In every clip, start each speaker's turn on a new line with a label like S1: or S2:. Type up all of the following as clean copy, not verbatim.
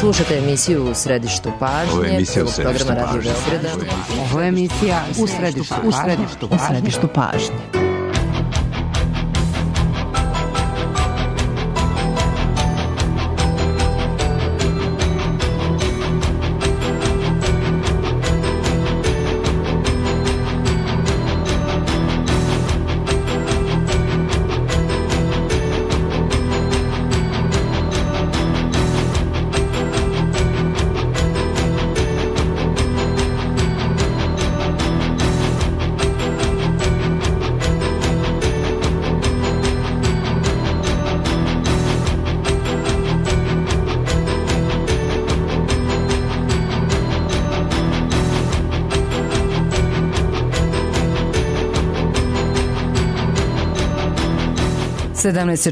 S1: Slušate emisiju U središtu pažnje.
S2: Ovo je emisija U središtu
S1: programa Radio Beograda.
S3: Ovo je emisija U središtu pažnje.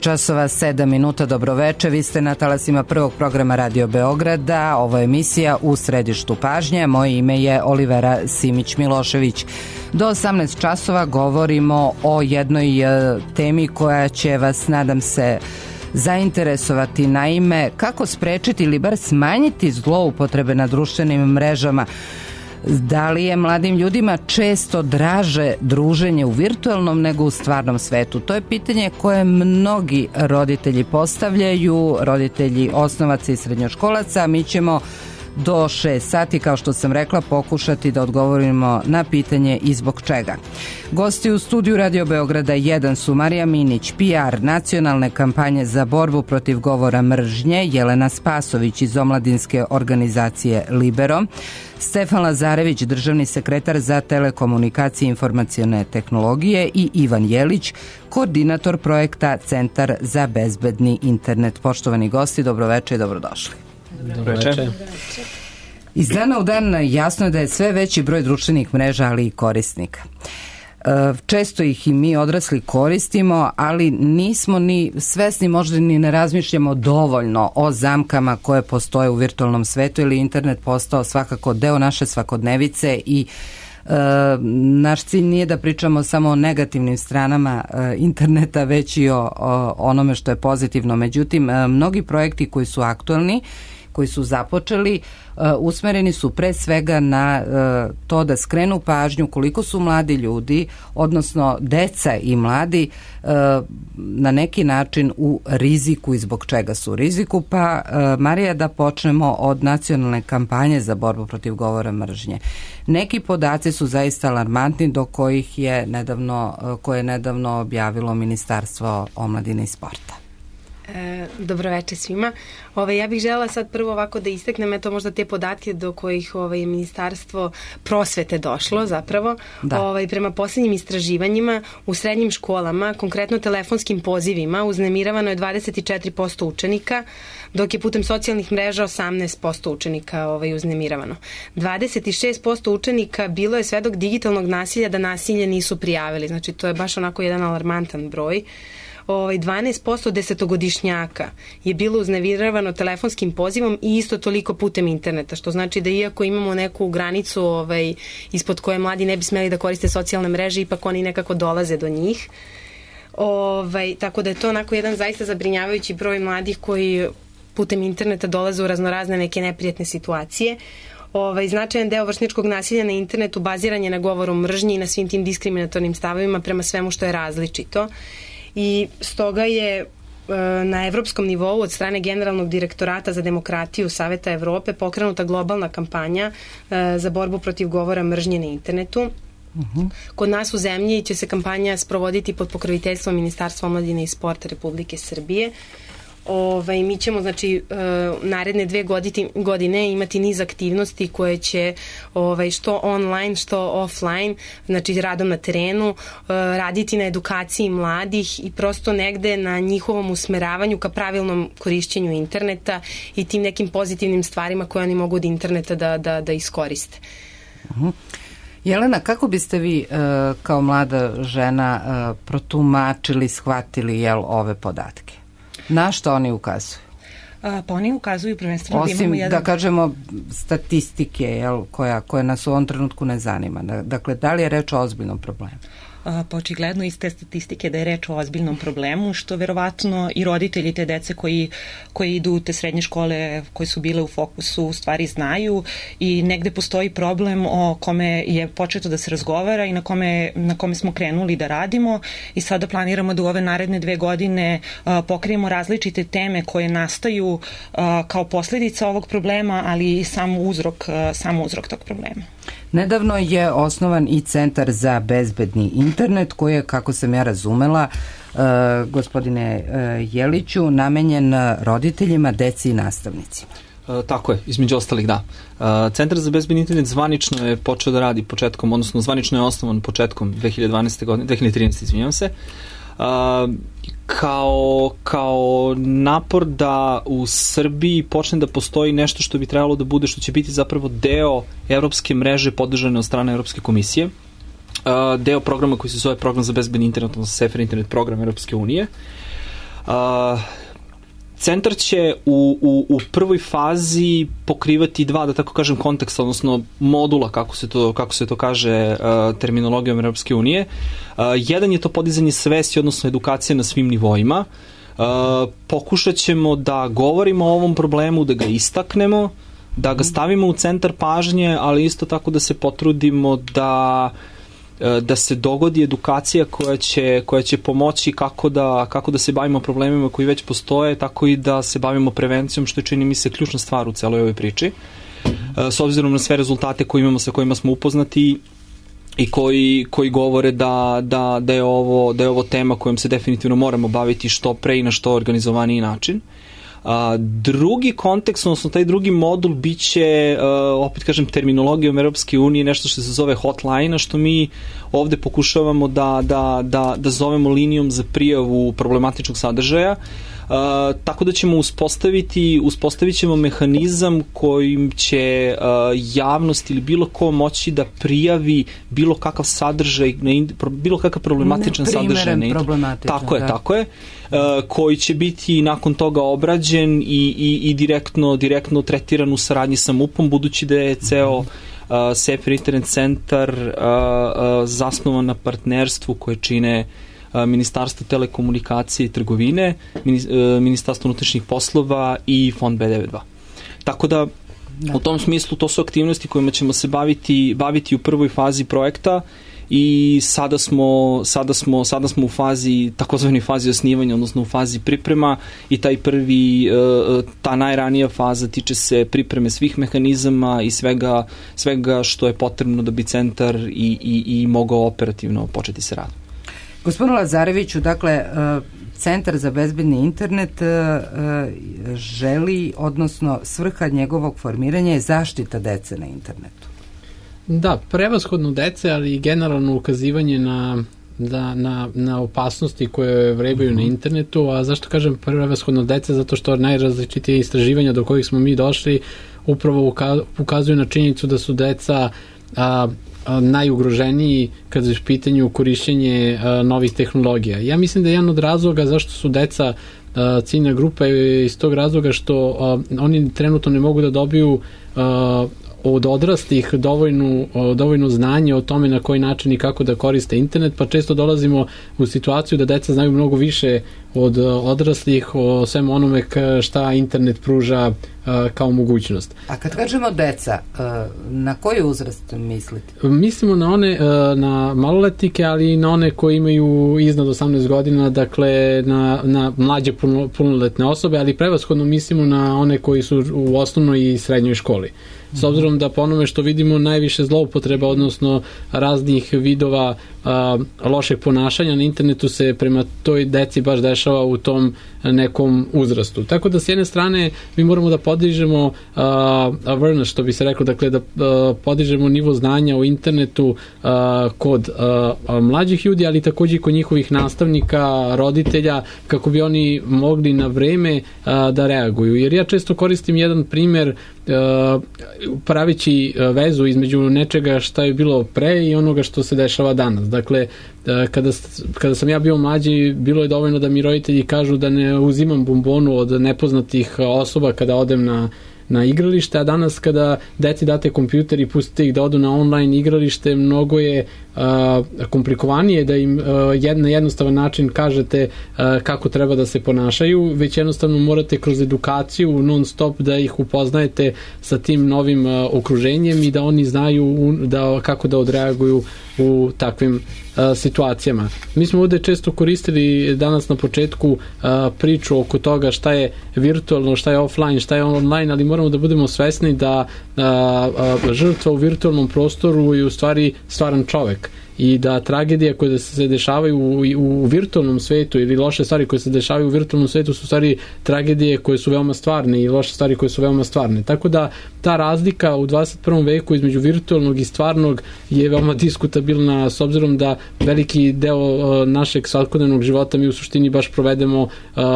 S3: časova 7 minuta, dobroveče, vi ste na talasima prvog programa Radio Beograda, ovo je emisija U središtu pažnje, moje ime je Olivera Simić-Milošević. Do 18 časova govorimo o jednoj temi koja će vas, nadam se, zainteresovati. Naime, kako sprečiti ili bar smanjiti zloupotrebe na društvenim mrežama. Da li je mladim ljudima često draže druženje u virtualnom nego u stvarnom svetu? To je pitanje koje mnogi roditelji postavljaju, roditelji osnovaca i srednjoškolaca. Mi ćemo do 6 sati, kao što sam rekla, pokušati da odgovorimo na pitanje i zbog čega. Gosti u studiju Radio Beograda 1 su Marija Minić, PR nacionalne kampanje za borbu protiv govora mržnje, Jelena Spasović iz omladinske organizacije Libero, Stefan Lazarević, državni sekretar za telekomunikacije i informacione tehnologije i Ivan Jelić, koordinator projekta Centar za bezbedni internet. Poštovani gosti, dobroveče i dobrodošli.
S4: Dobroveče.
S3: Iz dana u dan jasno je da je sve veći broj društvenih mreža, ali i korisnika. Često ih i mi odrasli koristimo, ali nismo ni svesni, možda ni ne razmišljamo dovoljno o zamkama koje postoje u virtualnom svetu, ili internet postao svakako deo naše svakodnevice i naš cilj nije da pričamo samo o negativnim stranama interneta, već i o onome što je pozitivno. Međutim, mnogi projekti koji su aktualni, koji su započeli, usmereni su pre svega na to da skrenu pažnju koliko su mladi ljudi, odnosno deca i mladi, na neki način u riziku i zbog čega su u riziku. Pa, Marija, da počnemo od nacionalne kampanje za borbu protiv govora mržnje. Neki podaci su zaista alarmantni, do kojih je nedavno objavilo Ministarstvo omladine i sporta.
S5: Dobroveče svima. Ja bih želela sad prvo ovako da istaknem možda te podatke do kojih je Ministarstvo prosvete došlo zapravo. Da. Prema posljednjim istraživanjima u srednjim školama, konkretno telefonskim pozivima, uznemiravano je 24% učenika, dok je putem socijalnih mreža 18% učenika uznemiravano. 26% učenika bilo je svedok digitalnog nasilja da nasilje nisu prijavili. Znači to je baš onako jedan alarmantan broj. 12% desetogodišnjaka je bilo uznemiravano telefonskim pozivom i isto toliko putem interneta, što znači da iako imamo neku granicu ispod koje mladi ne bi smeli da koriste socijalne mreže, ipak oni nekako dolaze do njih. Tako da je to onako jedan zaista zabrinjavajući broj mladih koji putem interneta dolaze u raznorazne neke neprijatne situacije. Značajan deo vršnjačkog nasilja na internetu baziran je na govoru mržnje i na svim tim diskriminatornim stavovima prema svemu što je različito. I stoga je na evropskom nivou od strane Generalnog direktorata za demokratiju Saveta Evrope pokrenuta globalna kampanja za borbu protiv govora mržnje na internetu. Kod nas u zemlji će se kampanja sprovoditi pod pokroviteljstvom Ministarstva omladine i sporta Republike Srbije. Mi ćemo naredne 2 godine imati niz aktivnosti koje će što online, što offline, znači radom na terenu, raditi na edukaciji mladih i prosto negde na njihovom usmeravanju ka pravilnom korišćenju interneta i tim nekim pozitivnim stvarima koje oni mogu od interneta da iskoriste.
S3: Jelena, kako biste vi kao mlada žena protumačili, shvatili ove podatke? Na što oni ukazuju?
S6: Pa oni ukazuju prvenstveno
S3: da imamo jedan... da kažemo statistike koja nas u ovom trenutku ne zanima. Dakle, da li je reč o ozbiljnom problemu?
S6: očigledno iz te statistike da je reč o ozbiljnom problemu, što verovatno i roditelji te dece koji idu u te srednje škole, koje su bile u fokusu, u stvari znaju i negde postoji problem o kome je početo da se razgovara i na kome smo krenuli da radimo i sada planiramo da u ove naredne 2 godine pokrijemo različite teme koje nastaju kao posljedica ovog problema, ali i sam uzrok tog problema.
S3: Nedavno je osnovan i Centar za bezbedni internet koji je, kako sam ja razumela, gospodine Jeliću, namenjen roditeljima, deci i nastavnicima.
S2: Tako je, između ostalih da. Centar za bezbedni internet zvanično je počeo da radi početkom, odnosno zvanično je osnovan početkom 2013. izvinjavam se, kao napor da u Srbiji počne da postoji nešto što bi trebalo da bude, što će biti zapravo deo evropske mreže podržane od strane Evropske komisije, deo programa koji se zove Program za bezbedni internet, odnosno SAFER internet program Evropske unije. Centar će u prvoj fazi pokrivati 2, da tako kažem, konteksta, odnosno modula, kako se to kaže terminologijom Europske unije. Jedan je to podizanje svesti, odnosno edukacije na svim nivoima. Pokušat ćemo da govorimo o ovom problemu, da ga istaknemo, da ga stavimo u centar pažnje, ali isto tako da se potrudimo da se dogodi edukacija koja će pomoći kako da se bavimo problemima koji već postoje, tako i da se bavimo prevencijom, što je, čini mi se, ključna stvar u celoj ovoj priči. S obzirom na sve rezultate koje imamo, sa kojima smo upoznati i koji govore da je ovo tema kojom se definitivno moramo baviti što pre i na što organizovaniji način. Drugi kontekst, odnosno taj drugi modul biće, opet kažem, terminologijom Europske unije, nešto što se zove hotline, a što mi ovde pokušavamo da zovemo linijom za prijavu problematičnog sadržaja, tako da ćemo uspostavit ćemo mehanizam kojim će javnost ili bilo ko moći da prijavi bilo kakav sadržaj, bilo kakav problematičan sadržaj. Tako je. Koji će biti nakon toga obrađen i direktno tretiran u saradnji sa MUP-om, budući da je ceo SAFER internet centar zasnovan na partnerstvu koje čine Ministarstvo telekomunikacije i trgovine, Ministarstvo unutrašnjih poslova i Fond B92. Tako da, u tom smislu, to su aktivnosti kojima ćemo se baviti u prvoj fazi projekta i sada smo u fazi, takozvanoj fazi osnivanja, odnosno u fazi priprema, i ta najranija faza tiče se pripreme svih mehanizama i svega što je potrebno da bi centar i mogao operativno početi se radom.
S3: Gospodinu Lazareviću, dakle, Centar za bezbedni internet želi, odnosno svrha njegovog formiranja je zaštita dece na internetu.
S4: Da, prevashodno dece, ali i generalno ukazivanje na opasnosti koje vrebaju na internetu. A zašto kažem prevashodno dece? Zato što najrazličitije istraživanja do kojih smo mi došli upravo ukazuju na činjenicu da su deca najugroženiji kada je u pitanju korišćenje novih tehnologija. Ja mislim da je jedan od razloga zašto su deca ciljna grupa je iz tog razloga što oni trenutno ne mogu da dobiju od odraslih dovoljno znanje o tome na koji način i kako da koriste internet, pa često dolazimo u situaciju da deca znaju mnogo više od odraslih o svemu onome šta internet pruža kao mogućnost.
S3: A kad kažemo deca, na koji uzrast mislite?
S4: Mislimo na maloletnike, ali i na one koji imaju iznad 18 godina, dakle na mlađe punoletne osobe, ali prevashodno mislimo na one koji su u osnovnoj i srednjoj školi. S obzirom da po onome što vidimo najviše zloupotreba, odnosno raznih vidova lošeg ponašanja na internetu se prema toj deci baš dešava u tom nekom uzrastu. Tako da s jedne strane mi moramo da podižemo awareness, što bi se reklo, dakle da podižemo nivo znanja o internetu kod mlađih ljudi, ali takođe i kod njihovih nastavnika, roditelja, kako bi oni mogli na vreme da reaguju. Jer ja često koristim jedan primer pravići vezu između nečega šta je bilo pre i onoga što se dešava danas. Dakle, kada sam ja bio mlađi, bilo je dovoljno da mi roditelji kažu da ne uzimam bombonu od nepoznatih osoba kada odem na igralište, a danas kada deci date kompjuter i pustite ih da odu na online igralište, mnogo je komplikovanije da im na jednostavan način kažete kako treba da se ponašaju, već jednostavno morate kroz edukaciju non stop da ih upoznajete sa tim novim okruženjem i da oni znaju kako da odreaguju u takvim situacijama. Mi smo ovde često koristili danas na početku priču oko toga šta je virtualno, šta je offline, šta je online, ali moramo da budemo svesni da žrtva u virtualnom prostoru je u stvari stvaran čovek i da tragedije koje se dešavaju u virtualnom svetu ili loše stvari koje se dešavaju u virtualnom svetu su stvari tragedije koje su veoma stvarne i loše stvari koje su veoma stvarne. Tako da ta razlika u 21. veku između virtualnog i stvarnog je veoma diskutabilna s obzirom da veliki deo našeg svakodnevnog života mi u suštini baš provedemo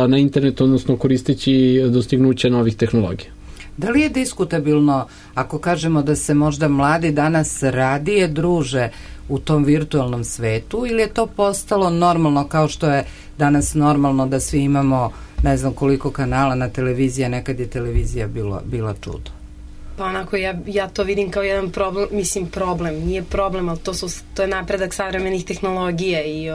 S4: na internetu, odnosno koristeći dostignuća novih tehnologija.
S3: Da li je diskutabilno ako kažemo da se možda mladi danas radije druže u tom virtualnom svetu ili je to postalo normalno kao što je danas normalno da svi imamo ne znam koliko kanala na televiziji, nekad je televizija bila čudo?
S5: Pa onako, ja to vidim kao jedan problem, nije problem, ali to je napredak savremenih tehnologija i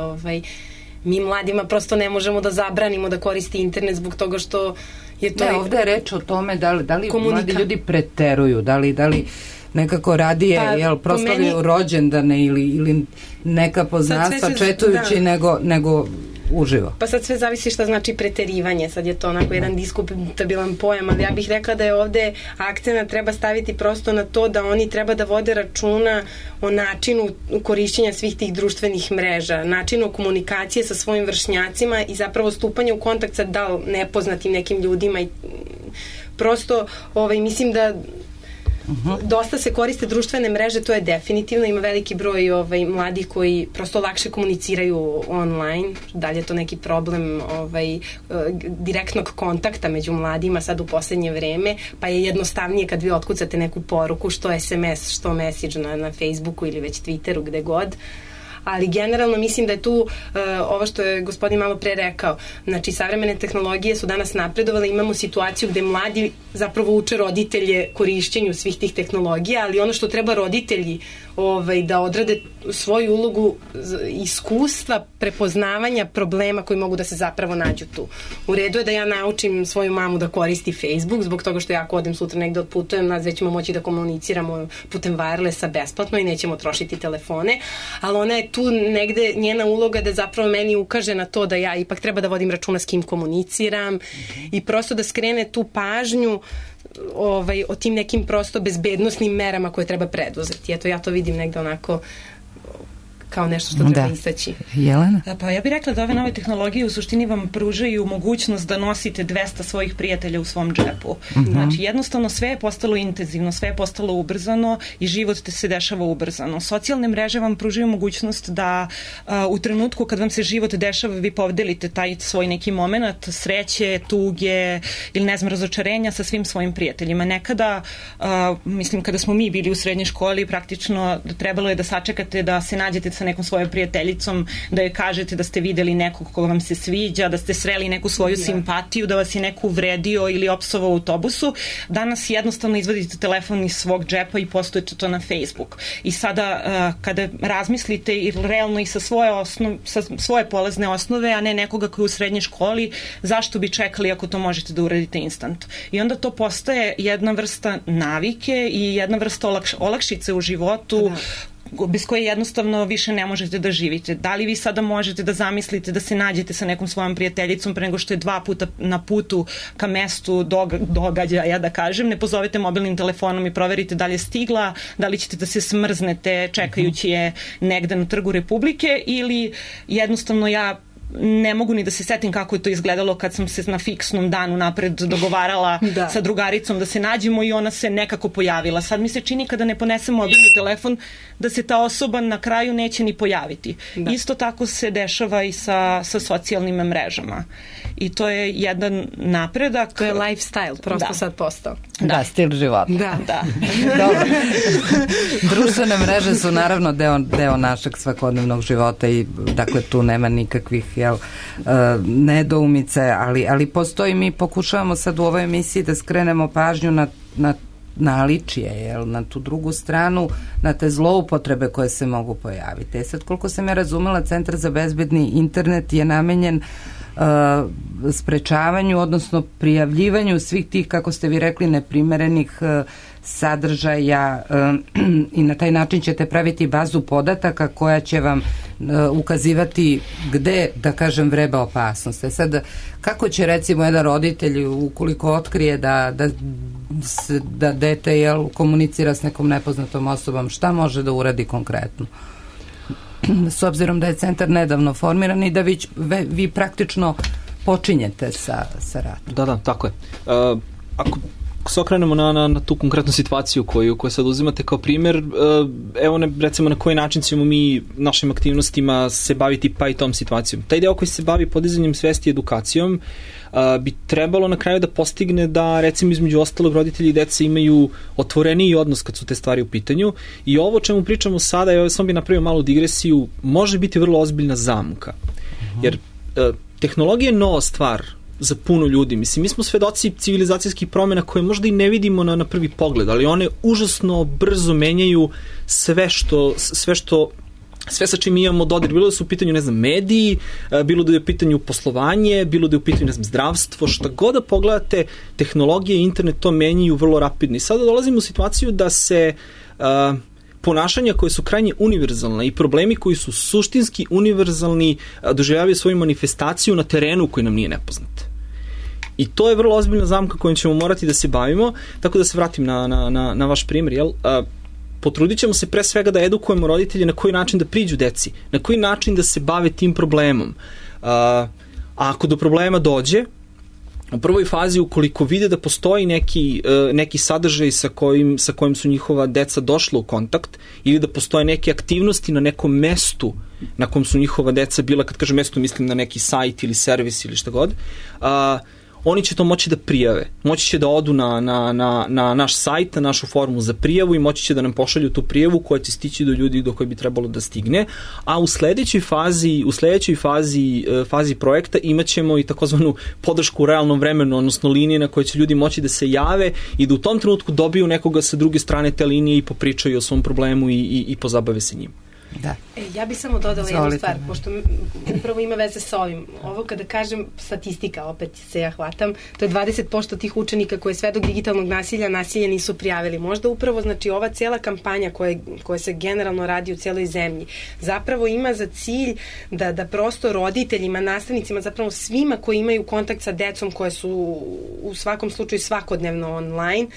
S5: mi mladima prosto ne možemo da zabranimo da koristi internet zbog toga što je to...
S3: Ne, ovde je reč o tome da li mladi ljudi preteruju, da li nekako radije proslavljaju rođendane ili neka poznanstva četujući nego uživo.
S5: Pa sad sve zavisi šta znači preterivanje, sad je to onako jedan diskutabilan pojam, ali ja bih rekla da je ovde akcenat treba staviti prosto na to da oni treba da vode računa o načinu korišćenja svih tih društvenih mreža, načinu komunikacije sa svojim vršnjacima i zapravo stupanje u kontakt sa nepoznatim nekim ljudima i prosto mislim da dosta se koriste društvene mreže, to je definitivno, ima veliki broj mladih koji prosto lakše komuniciraju online, dalje je to neki problem direktnog kontakta među mladima sad u poslednje vreme, pa je jednostavnije kad vi otkucate neku poruku, što SMS, što message na Facebooku ili već Twitteru, gde god. Ali generalno mislim da je tu ovo što je gospodin malo pre rekao, znači savremene tehnologije su danas napredovale, imamo situaciju gde mladi zapravo uče roditelje korišćenju svih tih tehnologija, ali ono što treba roditelji da odrade svoju ulogu iskustva, prepoznavanja problema koji mogu da se zapravo nađu tu. U redu je da ja naučim svoju mamu da koristi Facebook, zbog toga što ja ako odem sutra negde otputujem, nas već ćemo moći da komuniciramo putem wirelessa besplatno i nećemo trošiti telefone, ali ona je tu negde njena uloga da zapravo meni ukaže na to da ja ipak treba da vodim računa s kim komuniciram i prosto da skrene tu pažnju o tim nekim prosto bezbednosnim merama koje treba preduzeti. Eto, ja to vidim negde onako kao nešto što treba istaći.
S3: Jelena?
S6: Pa ja bih rekla da ove nove tehnologije u suštini vam pružaju mogućnost da nosite 200 svojih prijatelja u svom džepu. Znači, jednostavno sve je postalo intenzivno, sve je postalo ubrzano i život se dešava ubrzano. Socijalne mreže vam pružaju mogućnost da u trenutku kad vam se život dešava vi podelite taj svoj neki moment sreće, tuge ili ne znam, razočarenja sa svim svojim prijateljima. Nekada, mislim, kada smo mi bili u srednjoj školi, praktično trebalo je da sačekate da se nađete sa nekom svojom prijateljicom, da joj kažete da ste videli nekog koga vam se sviđa, da ste sreli neku svoju simpatiju, da vas je neko uvredio ili opsovao u autobusu. Danas jednostavno izvadite telefon iz svog džepa i postojete to na Facebook. I sada kada razmislite i realno i sa svoje polazne osnove, a ne nekoga koji je u srednjoj školi, zašto bi čekali ako to možete da uradite instant? I onda to postaje jedna vrsta navike i jedna vrsta olakšice u životu bez koje jednostavno više ne možete da živite. Da li vi sada možete da zamislite da se nađete sa nekom svojom prijateljicom pre nego što je 2 puta na putu ka mestu događaja, da kažem, ne pozovete mobilnim telefonom i proverite da li je stigla, da li ćete da se smrznete čekajući je negde na Trgu Republike ili jednostavno ja ne mogu ni da se setim kako je to izgledalo kad sam se na fiksnom danu napred dogovarala sa drugaricom da se nađemo i ona se nekako pojavila. Sad mi se čini kada ne ponesem mobilni telefon da se ta osoba na kraju neće ni pojaviti. Isto tako se dešava i sa socijalnim mrežama. I to je jedan napredak.
S5: To je lifestyle, prosto sad postao.
S3: Da, stil života.
S6: Da.
S3: Dobro. Društvene mreže su naravno deo našeg svakodnevnog života i dakle tu nema nikakvih nedoumice, ali postoji, mi pokušavamo sad u ovoj emisiji da skrenemo pažnju na naličije, na tu drugu stranu, na te zloupotrebe koje se mogu pojaviti. Sad, koliko sam ja razumela, Centar za bezbedni internet je namenjen sprečavanju, odnosno prijavljivanju svih tih, kako ste vi rekli, neprimerenih sadržaja i na taj način ćete praviti bazu podataka koja će vam ukazivati gde, da kažem, vreba opasnost. Sad, kako će recimo jedan roditelj, ukoliko otkrije da dete komunicira s nekom nepoznatom osobom, šta može da uradi konkretno? S obzirom da je centar nedavno formiran i da vi praktično počinjete sa radom.
S2: Da, tako je. Ako se okrenemo na tu konkretnu situaciju koju sad uzimate kao primjer, evo recimo na koji način ćemo mi našim aktivnostima se baviti pa i tom situacijom. Taj deo koji se bavi podizanjem svesti i edukacijom bi trebalo na kraju da postigne da, recimo, između ostalog roditelji i deca imaju otvoreniji odnos kad su te stvari u pitanju, i ovo o čemu pričamo sada, ja sam bi napravio malu digresiju, može biti vrlo ozbiljna zamka. Jer tehnologija je nova stvar za puno ljudi. Mislim, mi smo svedoci civilizacijskih promjena koje možda i ne vidimo na prvi pogled, ali one užasno brzo menjaju sve sa čim imamo dodir, bilo da su u pitanju, mediji, bilo da je u pitanju poslovanje, bilo da je u pitanju, zdravstvo, šta god da pogledate, tehnologije i internet to menjaju vrlo rapidno. I sada dolazimo u situaciju da se ponašanja koje su krajnje univerzalne i problemi koji su suštinski univerzalni doživljavaju svoju manifestaciju na terenu koji nam nije nepoznat. I to je vrlo ozbiljna zamka kojom ćemo morati da se bavimo, tako da se vratim na vaš primjer, potrudit ćemo se pre svega da edukujemo roditelje na koji način da priđu deci, na koji način da se bave tim problemom. A ako do problema dođe, u prvoj fazi, ukoliko vide da postoji neki sadržaj sa kojim su njihova deca došla u kontakt, ili da postoje neke aktivnosti na nekom mestu na kom su njihova deca bila, kad kažem mesto, mislim na neki sajt ili servis ili šta god, oni će to moći da prijave. Moći će da odu na naš sajt, na našu formu za prijavu i moći će da nam pošalju tu prijavu koja će stići do ljudi do koje bi trebalo da stigne. A u sledećoj fazi projekta imat ćemo i takozvanu podršku u realnom vremenu, odnosno linije na koje će ljudi moći da se jave i da u tom trenutku dobiju nekoga sa druge strane te linije i popričaju o svom problemu i pozabave se njim.
S3: Da.
S5: Ja bih samo dodala jednu stvar, pošto upravo ima veze sa ovim. Ovo kada kažem statistika, opet se ja hvatam, to je 20% tih učenika koje svedok digitalnog nasilja nisu prijavili. Možda upravo, ova cijela kampanja koja se generalno radi u cijeloj zemlji, zapravo ima za cilj da prosto roditeljima, nastavnicima, zapravo svima koji imaju kontakt sa decom koje su u svakom slučaju svakodnevno online,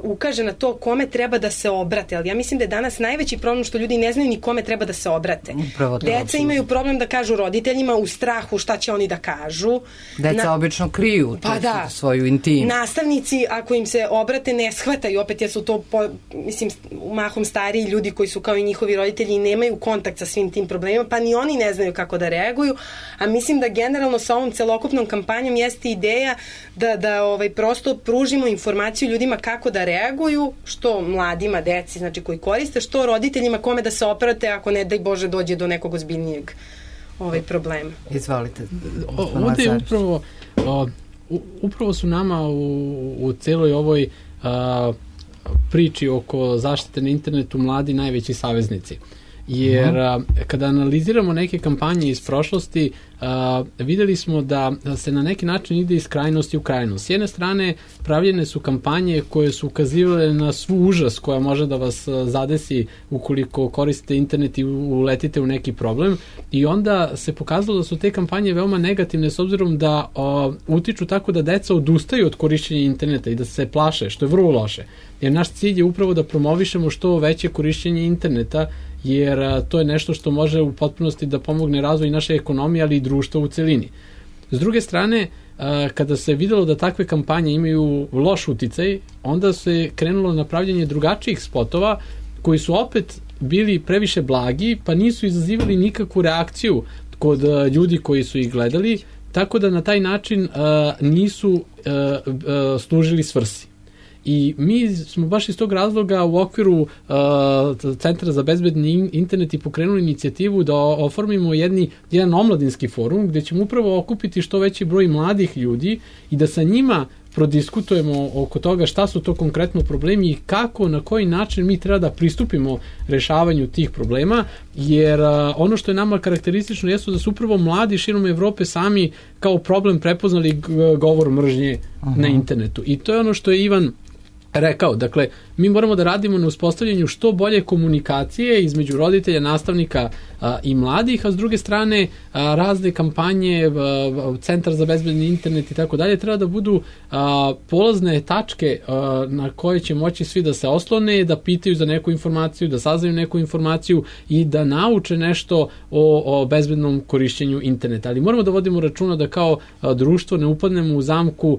S5: ukaže na to kome treba da se obrate. Ali ja mislim da je danas najveći problem što ljudi ne znaju ni kome treba da se obrate. Deca imaju problem da kažu roditeljima u strahu šta će oni da kažu.
S3: Deca obično kriju svoju intimu.
S5: Nastavnici, ako im se obrate, ne shvataju, opet jer su to mahom stariji ljudi koji su kao i njihovi roditelji i nemaju kontakt sa svim tim problemima, pa ni oni ne znaju kako da reaguju, a mislim da generalno sa ovom celokupnom kampanjom jeste ideja da prosto pružimo informaciju ljudima kako da reaguju, što mladima, deci, koji koriste, što roditeljima kome da se oprate ako ne daj Bože dođe do nekog ozbiljnijeg problema.
S3: Izvolite.
S4: Ovdje je upravo su nama u celoj ovoj priči oko zaštite na internetu mladi najveći saveznici. Jer kada analiziramo neke kampanje iz prošlosti, videli smo da se na neki način ide iz krajnosti u krajnost. S jedne strane, pravljene su kampanje koje su ukazivale na svu užas koja može da vas zadesi ukoliko koristite internet i uletite u neki problem, i onda se pokazalo da su te kampanje veoma negativne s obzirom da utiču tako da deca odustaju od korišćenja interneta i da se plaše, što je vrlo loše. Jer naš cilj je upravo da promovišemo što veće korišćenje interneta, jer to je nešto što može u potpunosti da pomogne razvoju naše ekonomije, ali i društva u celini. S druge strane, kada se videlo da takve kampanje imaju loš uticaj, onda se krenulo na pravljanje drugačijih spotova koji su opet bili previše blagi, pa nisu izazivali nikakvu reakciju kod ljudi koji su ih gledali, tako da na taj način nisu služili svrsi. I mi smo baš iz tog razloga u okviru Centra za bezbedni internet i pokrenuli inicijativu da oformimo jedan omladinski forum gdje ćemo upravo okupiti što veći broj mladih ljudi i da sa njima prodiskutujemo oko toga šta su to konkretno problemi i kako, na koji način mi treba da pristupimo rešavanju tih problema, jer ono što je nama karakteristično jesu da su upravo mladi širom Evrope sami kao problem prepoznali govor mržnje na internetu. I to je ono što je Ivan rekao. Dakle, mi moramo da radimo na uspostavljanju što bolje komunikacije između roditelja, nastavnika i mladih, a s druge strane razne kampanje, Centar za bezbedni internet i tako dalje, treba da budu polazne tačke na koje će moći svi da se oslone, da pitaju za neku informaciju, da saznaju neku informaciju i da nauče nešto o bezbednom korišćenju interneta. Ali moramo da vodimo računa da kao društvo ne upadnemo u zamku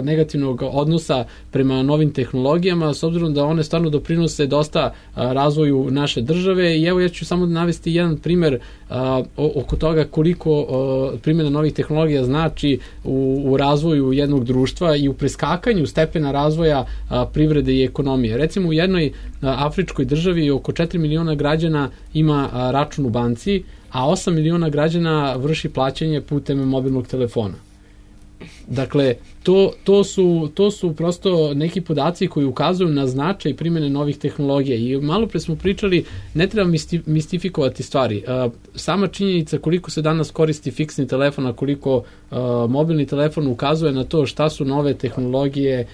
S4: negativnog odnosa prema novim tehnologijama, s obzirom da one stvarno doprinose dosta razvoju naše države. I evo ja ću samo navesti jedan primer oko toga koliko primjena novih tehnologija znači u razvoju jednog društva i u preskakanju stepena razvoja privrede i ekonomije. Recimo u jednoj afričkoj državi oko 4 miliona građana ima račun u banci, a 8 miliona građana vrši plaćanje putem mobilnog telefona. Dakle, to su prosto neki podaci koji ukazuju na značaj primjene novih tehnologija i malo pre smo pričali, ne treba mistifikovati stvari. Sama činjenica koliko se danas koristi fiksni telefon, a koliko mobilni telefon ukazuje na to šta su nove tehnologije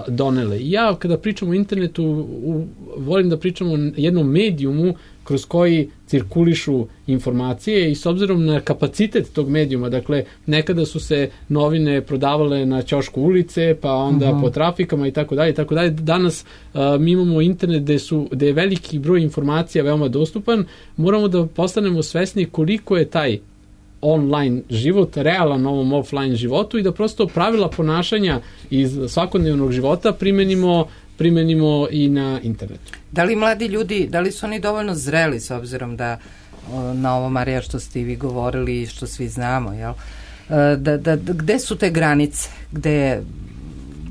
S4: donele. Ja kada pričam o internetu volim da pričam o jednom medijumu kroz koji cirkulišu informacije i s obzirom na kapacitet tog medijuma, dakle nekada su se novine prodavale na ćošku ulice, pa onda po trafikama i tako dalje. Danas mi imamo internet gde je veliki broj informacija veoma dostupan, moramo da postanemo svesni koliko je taj online život realan ovom offline životu i da prosto pravila ponašanja iz svakodnevnog života primenimo i na internetu.
S3: Da li mladi ljudi, da li su oni dovoljno zreli s obzirom da na ovo, Marija, što ste i vi govorili i što svi znamo, jel? Gde su te granice?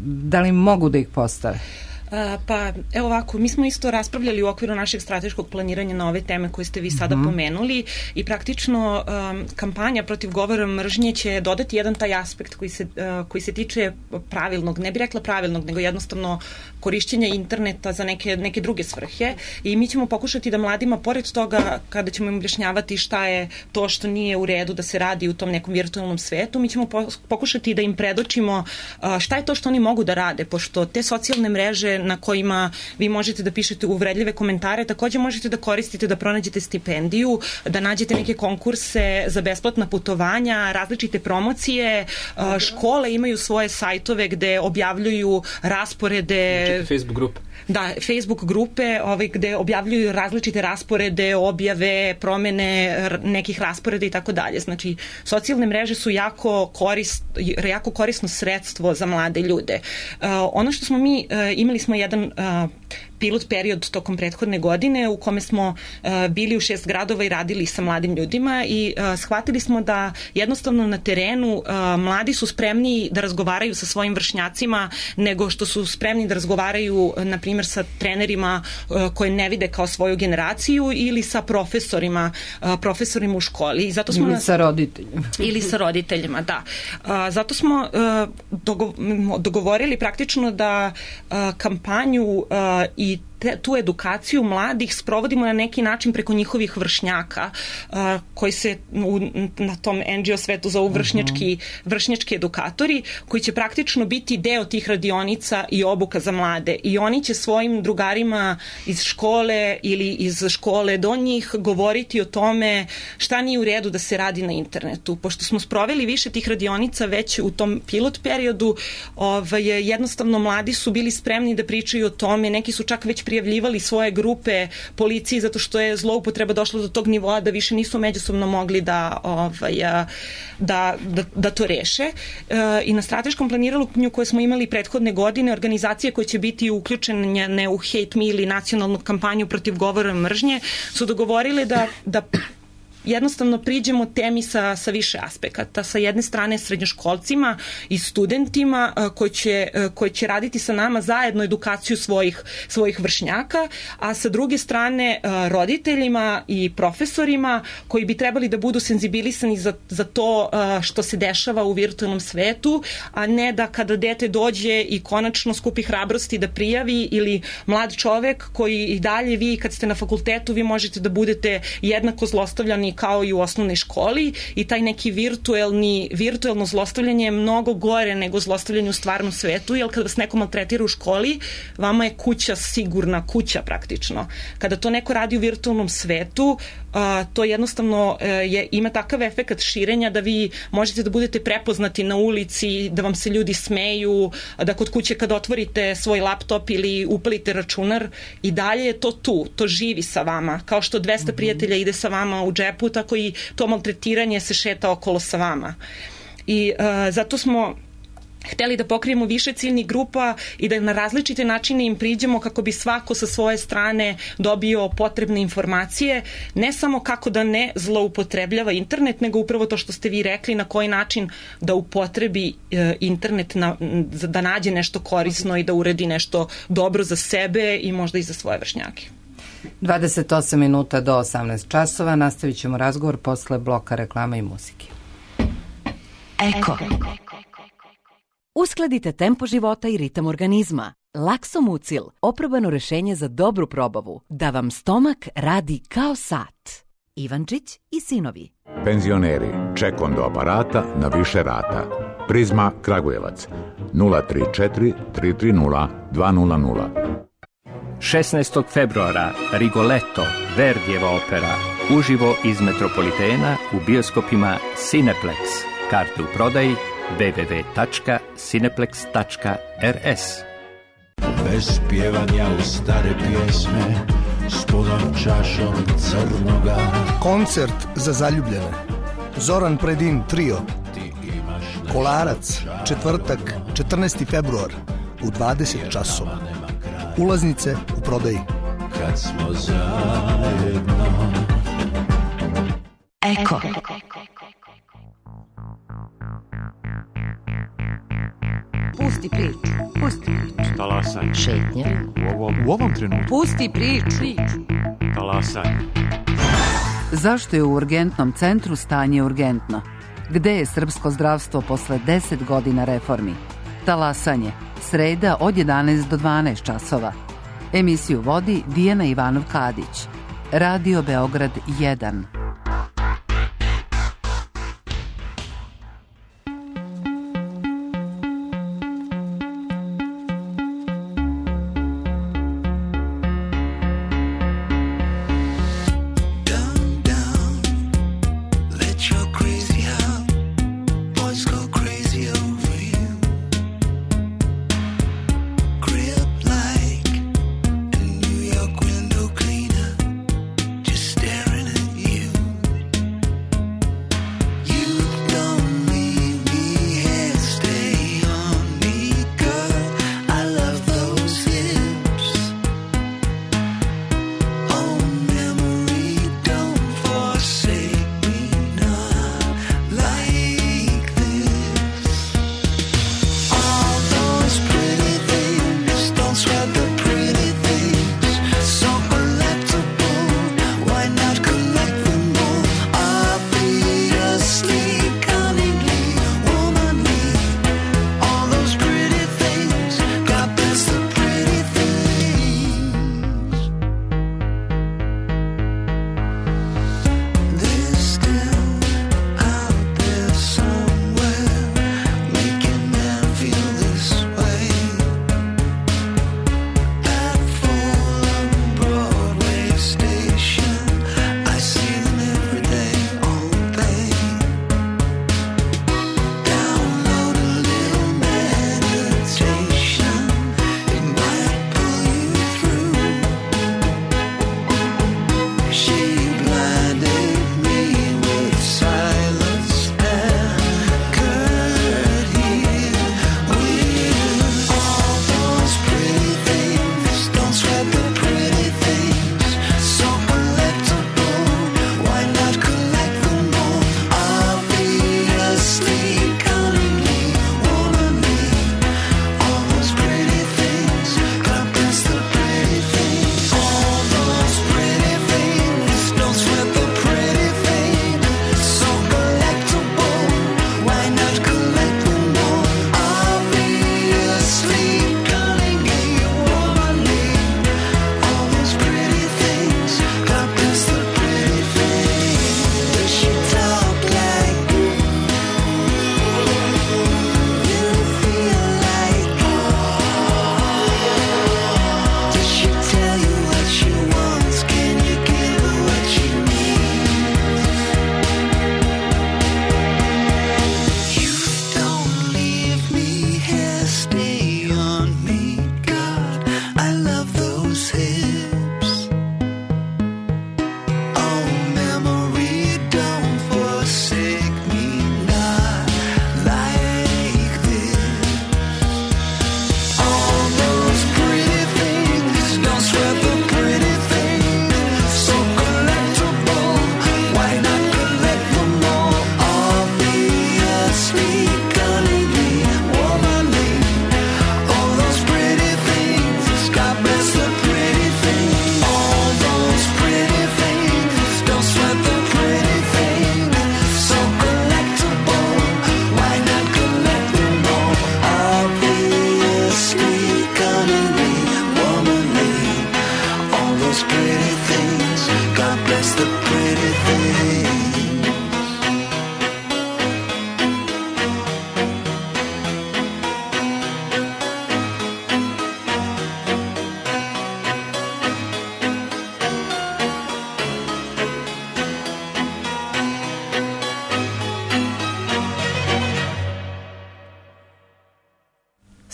S3: Da li mogu da ih postave?
S6: Pa, evo ovako, mi smo isto raspravljali u okviru našeg strateškog planiranja na ove teme koje ste vi sada pomenuli i praktično kampanja protiv govora mržnje će dodati jedan taj aspekt koji se tiče pravilnog, ne bih rekla pravilnog, nego jednostavno korišćenja interneta za neke druge svrhe i mi ćemo pokušati da mladima, pored toga kada ćemo im objašnjavati šta je to što nije u redu da se radi u tom nekom virtualnom svetu, mi ćemo pokušati da im predočimo šta je to što oni mogu da rade, pošto te socijalne mreže na kojima vi možete da pišete uvredljive komentare, takođe možete da koristite da pronađete stipendiju, da nađete neke konkurse za besplatna putovanja, različite promocije, škole imaju svoje sajtove gde objavljuju rasporede.
S2: Facebook grupe.
S6: Da, Facebook grupe gde objavljuju različite rasporede, objave, promene nekih rasporeda i tako dalje. Znači, socijalne mreže su jako korisno sredstvo za mlade ljude. Ono što smo mi, imali smo jedan pilot period tokom prethodne godine u kome smo bili u 6 gradova i radili sa mladim ljudima i shvatili smo da jednostavno na terenu mladi su spremniji da razgovaraju sa svojim vršnjacima nego što su spremni da razgovaraju, na primjer, sa trenerima koje ne vide kao svoju generaciju ili sa profesorima u školi. I zato smo
S3: sa roditeljima.
S6: Ili sa roditeljima, da. Zato smo dogovorili praktično da kampanju i tu edukaciju mladih sprovodimo na neki način preko njihovih vršnjaka koji se na tom NGO svetu zovu vršnjački edukatori koji će praktično biti deo tih radionica i obuka za mlade i oni će svojim drugarima iz škole ili iz škole do njih govoriti o tome šta nije u redu da se radi na internetu. Pošto smo sproveli više tih radionica već u tom pilot periodu, jednostavno mladi su bili spremni da pričaju o tome, neki su čak već prijavljivali svoje grupe policiji zato što je zloupotreba došla do tog nivoa da više nisu međusobno mogli da to reše. I na strateškom planiranju koje smo imali prethodne godine, organizacije koje će biti uključene u Hate Me ili nacionalnu kampanju protiv govora mržnje su dogovorile da jednostavno priđemo temi sa više aspekata. Sa jedne strane srednjoškolcima i studentima koji će raditi sa nama zajedno edukaciju svojih vršnjaka, a sa druge strane roditeljima i profesorima koji bi trebali da budu senzibilisani za to što se dešava u virtualnom svetu, a ne da kada dete dođe i konačno skupi hrabrosti da prijavi, ili mlad čovek koji i dalje, vi kad ste na fakultetu, vi možete da budete jednako zlostavljani kao i u osnovnoj školi, i taj neki virtuelno zlostavljanje je mnogo gore nego zlostavljanje u stvarnom svetu, jer kada vas neko maltretira u školi, vama je kuća sigurna kuća praktično. Kada to neko radi u virtualnom svetu, to jednostavno ima takav efekat širenja da vi možete da budete prepoznati na ulici, da vam se ljudi smeju, da kod kuće kad otvorite svoj laptop ili upalite računar, i dalje je to tu, to živi sa vama. Kao što 200 prijatelja ide sa vama u džepu, tako i to maltretiranje se šeta okolo sa vama. I zato smo hteli da pokrijemo više ciljnih grupa i da na različite načine im priđemo kako bi svako sa svoje strane dobio potrebne informacije, ne samo kako da ne zloupotrebljava internet, nego upravo to što ste vi rekli, na koji način da upotrebi internet da nađe nešto korisno i da uredi nešto dobro za sebe i možda i za svoje vršnjake.
S3: 28 minuta do 18 časova. Nastavit ćemo razgovor posle bloka reklama i muzike.
S7: Eko. Uskladite tempo života i ritam organizma. Laksomucil, oprobano rešenje za dobru probavu, da vam stomak radi kao sat. Ivančić i sinovi.
S8: Penzioneri, ček do aparata na više rata. Prizma Kragujevac, 034 330 200.
S9: 16. februara Rigoletto, Verdijeva opera, uživo iz Metropolitena u bioskopima Cineplex. Karte u prodaji www.cineplex.rs.
S10: Bez pjevanja u stare pjesme, s punom čašom crnoga.
S11: Koncert za zaljubljene. Zoran Predin trio. Kolarac, četvrtak, 14. februar u 20 časova. Ulaznice u prodaji.
S10: Kad smo zajedno.
S7: Eko.
S12: Pusti priču.
S9: Talasanje.
S1: Šetnja.
S9: U ovom trenutku.
S12: Pusti priču.
S9: Talasanje.
S13: Zašto je u urgentnom centru stanje urgentno? Gde je srpsko zdravstvo posle 10 godina reformi? Talasanje. Sreda od 11 do 12 časova. Emisiju vodi Dijana Ivanov-Kadić. Radio Beograd 1.
S10: Staring at you.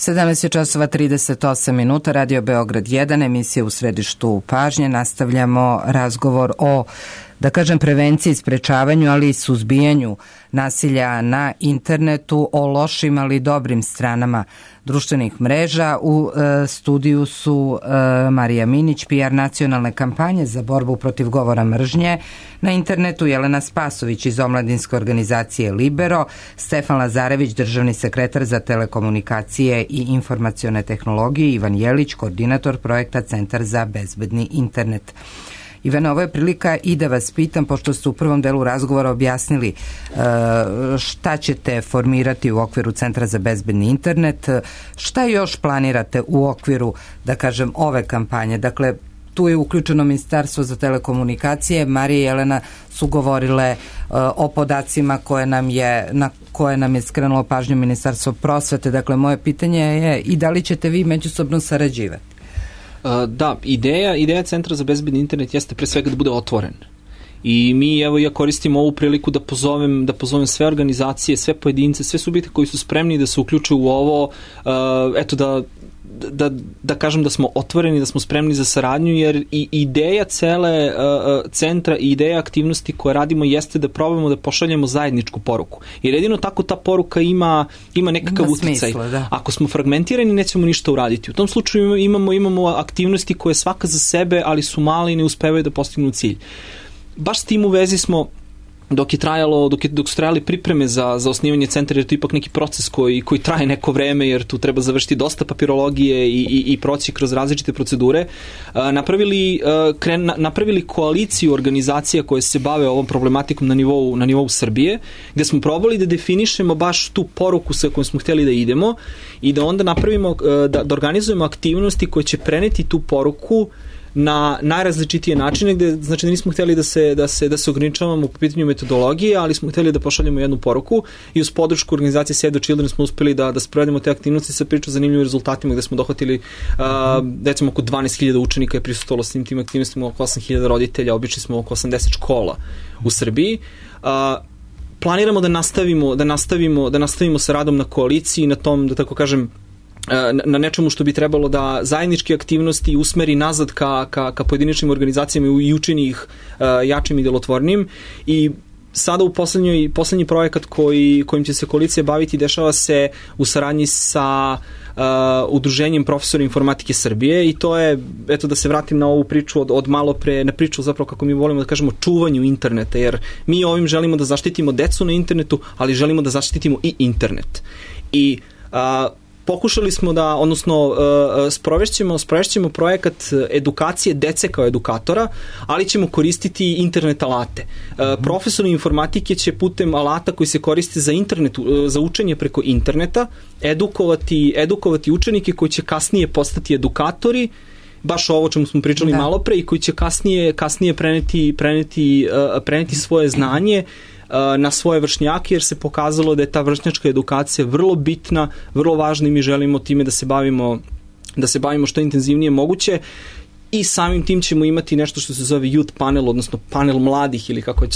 S3: 17 časova 38 minuta, Radio Beograd 1, emisija u središtu pažnje. Nastavljamo razgovor o, da kažem, prevenciji, sprečavanju, ali i suzbijanju nasilja na internetu, o lošim, ali dobrim stranama društvenih mreža. U studiju su Marija Minić, PR nacionalne kampanje za borbu protiv govora mržnje na internetu, Jelena Spasović iz omladinske organizacije Libero, Stefan Lazarević, državni sekretar za telekomunikacije i informacione tehnologije, Ivan Jelić, koordinator projekta Centar za bezbedni internet. Ivana, ovo je prilika i da vas pitam, pošto ste u prvom delu razgovora objasnili šta ćete formirati u okviru Centra za bezbedni internet, šta još planirate u okviru, da kažem, ove kampanje? Dakle, tu je uključeno Ministarstvo za telekomunikacije, Marija i Jelena su govorile o podacima na koje nam je skrenulo pažnju Ministarstvo prosvete. Dakle, moje pitanje je i da li ćete vi međusobno sarađivati?
S2: Da, ideja Centra za bezbedni internet jeste pre svega da bude otvoren. I mi, evo, ja koristim ovu priliku da pozovem sve organizacije, sve pojedince, sve subjekte koji su spremni da se uključe u ovo, da kažem da smo otvoreni, da smo spremni za saradnju, jer i ideja cele centra i ideja aktivnosti koje radimo jeste da probamo da pošaljemo zajedničku poruku. Jer jedino tako ta poruka ima nekakav uticaj. Ako smo fragmentirani, nećemo ništa uraditi. U tom slučaju imamo aktivnosti koje svaka za sebe, ali su male i ne uspevaju da postignu cilj. Baš s tim u vezi smo, dok su trajali pripreme za osnivanje centra, jer to je ipak neki proces koji traje neko vreme, jer tu treba završiti dosta papirologije i proći kroz različite procedure, napravili koaliciju organizacija koje se bave ovom problematikom na nivou Srbije, gde smo probali da definišemo baš tu poruku sa kojom smo hteli da idemo i da onda napravimo, da organizujemo aktivnosti koje će preneti tu poruku na najrazličitije načine, gde znači da nismo hteli da se ograničavamo po pitanju metodologije, ali smo hteli da pošaljemo jednu poruku i uz podršku organizacije Save the Children smo uspeli da sprovedemo te aktivnosti sa pričom zanimljivim rezultatima, gde smo dohvatili recimo oko 12.000 učenika je prisustvovalo s tim aktivnostima, oko 8.000 roditelja, obišli smo oko 80 škola u Srbiji. Planiramo da nastavimo sa radom na koaliciji, na tom, da tako kažem, na nečemu što bi trebalo da zajedničke aktivnosti usmeri nazad ka pojedinačnim organizacijama i učini ih jačim i delotvornim. I sada u poslednji projekat kojim će se koalicija baviti dešava se u saradnji sa Udruženjem profesora informatike Srbije i to je, eto da se vratim na ovu priču od malo pre, na priču zapravo kako mi volimo da kažemo čuvanju interneta, jer mi ovim želimo da zaštitimo decu na internetu, ali želimo da zaštitimo i internet. I pokušali smo da, odnosno sprovešćemo projekat edukacije dece kao edukatora, ali ćemo koristiti internet alate. Profesori informatike će putem alata koji se koriste za učenje preko interneta edukovati učenike koji će kasnije postati edukatori, baš ovo o čemu smo pričali malo pre, i koji će kasnije preneti svoje znanje na svoje vršnjake, jer se pokazalo da je ta vršnjačka edukacija vrlo bitna, vrlo važna i mi želimo time da se bavimo što intenzivnije moguće i samim tim ćemo imati nešto što se zove youth panel, odnosno panel mladih ili kako je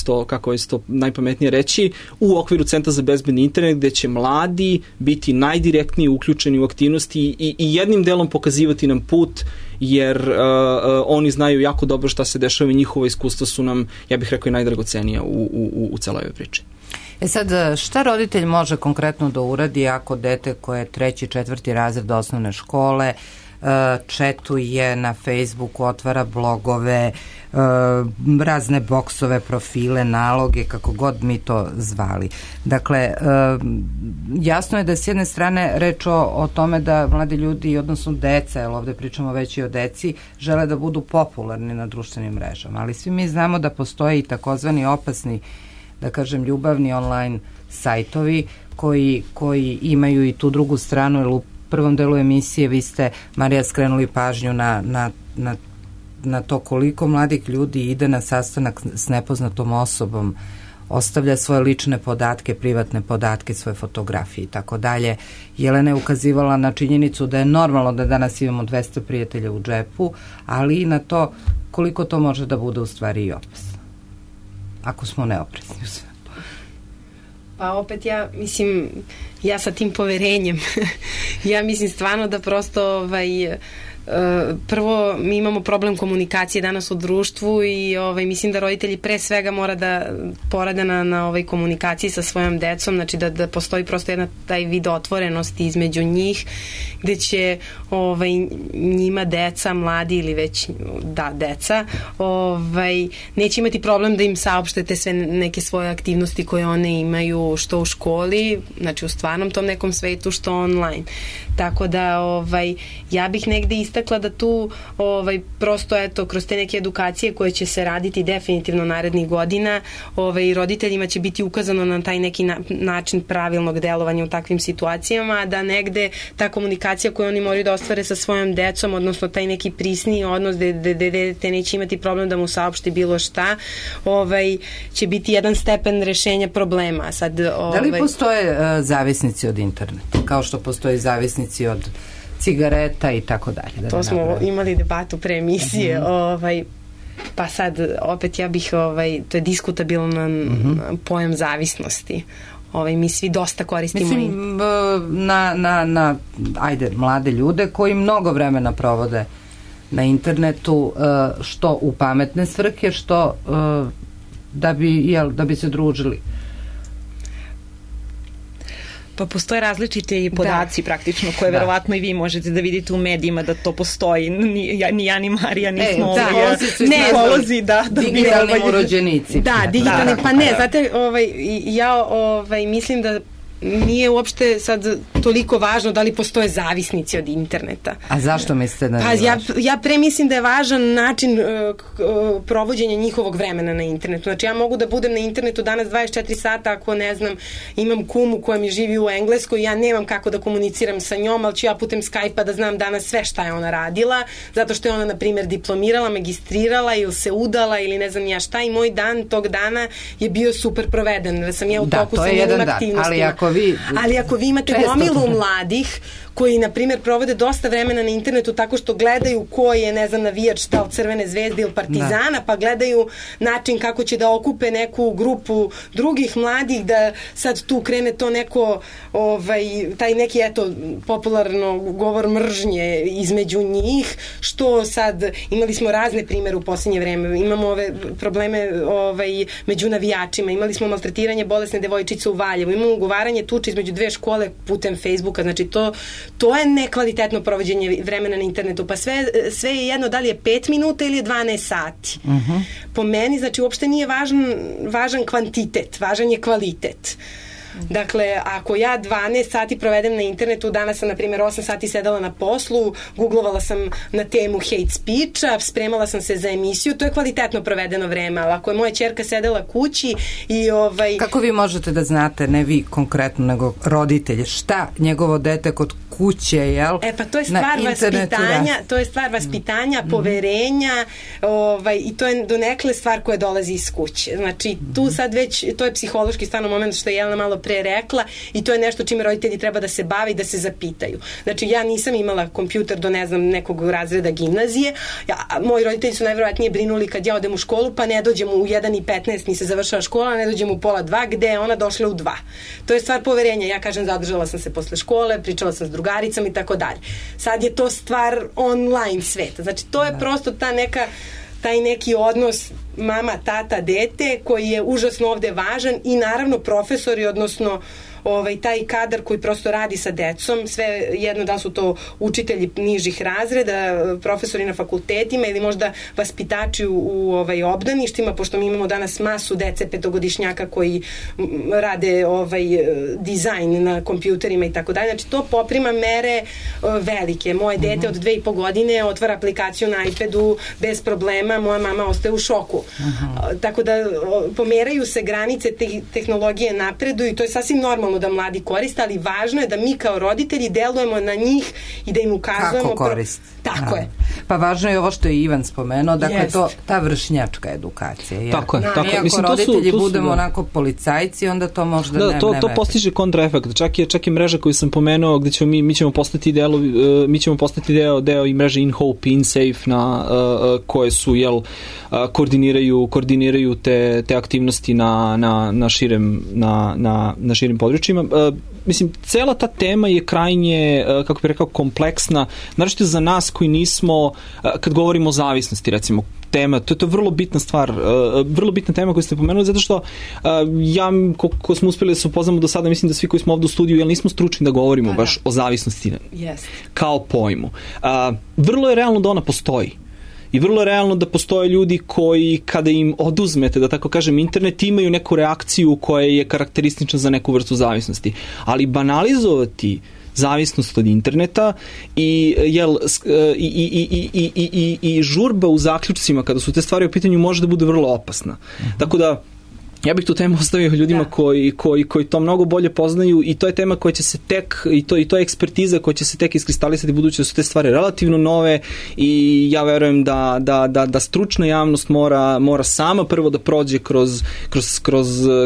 S2: to najpametnije reći, u okviru Centra za bezbedni internet, gde će mladi biti najdirektnije uključeni u aktivnosti i jednim delom pokazivati nam put, jer oni znaju jako dobro šta se dešava i njihova iskustva su nam, ja bih rekao, i najdragocenija u celoj ovoj priči.
S3: Sad, šta roditelj može konkretno da uradi ako dete koje je 3. 4. razred osnovne škole četuje na Facebooku, otvara blogove, razne boksove, profile, naloge, kako god mi to zvali. Dakle, jasno je da s jedne strane reč o tome da mladi ljudi, odnosno deca, jer ovde pričamo već i o deci, žele da budu popularni na društvenim mrežama, ali svi mi znamo da postoje i takozvani opasni, da kažem, ljubavni online sajtovi koji imaju i tu drugu stranu, jer u prvom delu emisije vi ste, Marija, skrenuli pažnju na to koliko mladih ljudi ide na sastanak s nepoznatom osobom, ostavlja svoje lične podatke, privatne podatke, svoje fotografije i tako dalje. Jelena je ukazivala na činjenicu da je normalno da danas imamo 200 prijatelja u džepu, ali i na to koliko to može da bude u stvari i opasno, ako smo neoprezni u sve.
S5: Pa opet ja sa tim poverenjem, ja mislim stvarno da prosto prvo mi imamo problem komunikacije danas u društvu i mislim da roditelji pre svega mora da porade na komunikaciji sa svojom decom, znači da postoji prosto jedna taj vid otvorenosti između njih gde će njima deca, mladi ili već deca neće imati problem da im saopštete sve neke svoje aktivnosti koje one imaju što u školi, znači u stvarnom tom nekom svetu, što online. Tako da ja bih negde istakla da tu prosto kroz te neke edukacije koje će se raditi definitivno narednih godina roditeljima će biti ukazano na taj neki način pravilnog delovanja u takvim situacijama, da negde ta komunikacija koju oni moraju da ostvare sa svojom decom, odnosno taj neki prisniji odnos gde dete neće imati problem da mu saopšti bilo šta, će biti jedan stepen rešenja problema. Sad,
S3: da li postoje zavisnici od interneta, kao što postoje zavisnici od cigareta i tako dalje?
S5: To smo imali debatu pre emisije, pa sad opet ja bih, to je diskutabilan pojam zavisnosti. Mi svi dosta koristimo.
S3: Mislim, na mlade ljude koji mnogo vremena provode na internetu, što u pametne svrhe, što da bi se družili.
S6: Pa postoje različite podaci praktično koje verovatno i vi možete da vidite u medijima da to postoji. Ni ja ni Marija nismo psiholozi.
S3: Digitalni urođenici.
S5: Da, digitalni, pa ne, znate, ja mislim da nije uopšte sad toliko važno da li postoje zavisnici od interneta.
S3: A zašto mislite da nije važno?
S5: Ja pre mislim da je važan način provođenja njihovog vremena na internetu. Znači ja mogu da budem na internetu danas 24 sata ako ne znam, imam kumu koja mi živi u Engleskoj, ja nemam kako da komuniciram sa njom, ali ću ja putem Skype-a da znam danas sve šta je ona radila, zato što je ona, na primjer, diplomirala, magistrirala ili se udala ili ne znam ja šta, i moj dan tog dana je bio super proveden, da sam ja u toku sa njegovim aktivnostima. Ali ako vi imate gomilu mladih koji, na primjer, provode dosta vremena na internetu tako što gledaju ko je, ne znam, navijač da li Crvene zvezde ili Partizana, pa gledaju način kako će da okupe neku grupu drugih mladih, da sad tu krene to neko, taj neki, popularno govor mržnje između njih, što sad, imali smo razne primere u posljednje vreme, imamo ove probleme među navijačima, imali smo maltretiranje bolesne devojčice u Valjevu, imamo ugovaranje tuče između dve škole putem Facebooka, znači to je nekvalitetno provođenje vremena na internetu, pa sve je jedno da li je 5 minuta ili je 12 sati. Po meni, znači, uopšte nije važan kvantitet, važan je kvalitet. Dakle, ako ja 12 sati provedem na internetu, danas sam, na primjer, 8 sati sedala na poslu, googlovala sam na temu hate speech-a, spremala sam se za emisiju, to je kvalitetno provedeno vreme, ali ako je moja ćerka sedela kući i
S3: Kako vi možete da znate, ne vi konkretno, nego roditelji, šta njegovo dete kod kuće, jel?
S5: Pa to je stvar vaspitanja, to je stvar vaspitanja, poverenja, i to je donekle stvar koja dolazi iz kuće. Znači, tu sad već, to je psihološki stvarno moment što je Jelena malo pre rekla, i to je nešto čime roditelji treba da se bave i da se zapitaju. Znači, ja nisam imala kompjuter do, ne znam, nekog razreda gimnazije. Moji roditelji su najverovatnije brinuli kad ja odem u školu, pa ne dođem u 1:15 mi se završava škola, ne dođem u 1:30, gde je ona došla u 2. To je stvar poverenja. Ja kažem, zadržala sam se posle škole, pričala sam s drugaricama i tako dalje. Sad je to stvar online sveta. Znači, to je prosto taj neki odnos mama, tata, dete koji je užasno ovde važan, i naravno profesori, odnosno taj kadar koji prosto radi sa decom, sve jedno da su to učitelji nižih razreda, profesori na fakultetima ili možda vaspitači u obdaništima, pošto mi imamo danas masu dece petogodišnjaka koji rade dizajn na kompjuterima i tako dalje. Znači, to poprima mere velike. Moje dete od 2,5 godine otvara aplikaciju na iPadu bez problema, moja mama ostaje u šoku. Tako da pomeraju se granice, tehnologije napreduju i to je sasvim normalno da mladi koriste, ali važno je da mi kao roditelji delujemo na njih i da im ukazujemo
S3: kako koriste.
S5: Tako je.
S3: Pa važno je ovo što je Ivan spomenuo, dakle ta vršnjačka edukacija.
S2: Ja. Tako je.
S3: Mi ako roditelji budemo onako policajci, onda to možda ne
S2: to postiže kontraefekt. Čak i mreža koju sam pomenuo, gde ćemo mi ćemo postati deo i mreže InHope, InSafe koje su koordiniraju te aktivnosti na širim područjima. Mislim, cela ta tema je krajnje, kako bih rekao, kompleksna, naročito za nas koji nismo, kad govorimo o zavisnosti, recimo, tema, to je vrlo bitna stvar, vrlo bitna tema koju ste pomenuli, zato što ko smo uspeli da se upoznamo do sada, mislim da svi koji smo ovde u studiju, jer nismo stručni da govorimo baš o zavisnosti kao pojmu. Vrlo je realno da ona postoji. I vrlo je realno da postoje ljudi koji, kada im oduzmete, da tako kažem, internet, imaju neku reakciju koja je karakteristična za neku vrstu zavisnosti. Ali banalizovati zavisnost od interneta i žurba u zaključcima kada su te stvari u pitanju može da bude vrlo opasna. Tako da ja bih tu temu ostavio ljudima koji to mnogo bolje poznaju i to je tema koja će se tek, i to je ekspertiza koja će se tek iskristalisati budući da su te stvari relativno nove i ja verujem da stručna javnost mora sama prvo da prođe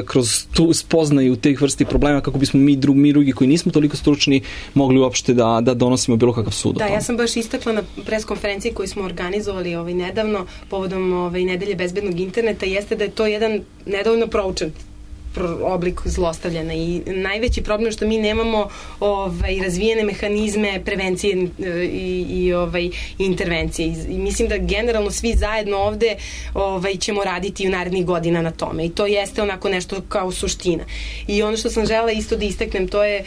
S2: kroz tu spoznaju tih vrsti problema kako bismo mi drugi koji nismo toliko stručni mogli uopšte da donosimo bilo kakav sud o tome.
S5: Da, ja sam baš istakla na preskonferenciji koju smo organizovali nedavno povodom nedelje bezbednog interneta, jeste da je to jedan nedovoljno proučen oblik zlostavljanja i najveći problem je što mi nemamo razvijene mehanizme prevencije i intervencije i mislim da generalno svi zajedno ovde ćemo raditi u narednih godina na tome i to jeste onako nešto kao suština. I ono što sam želela isto da istaknem to je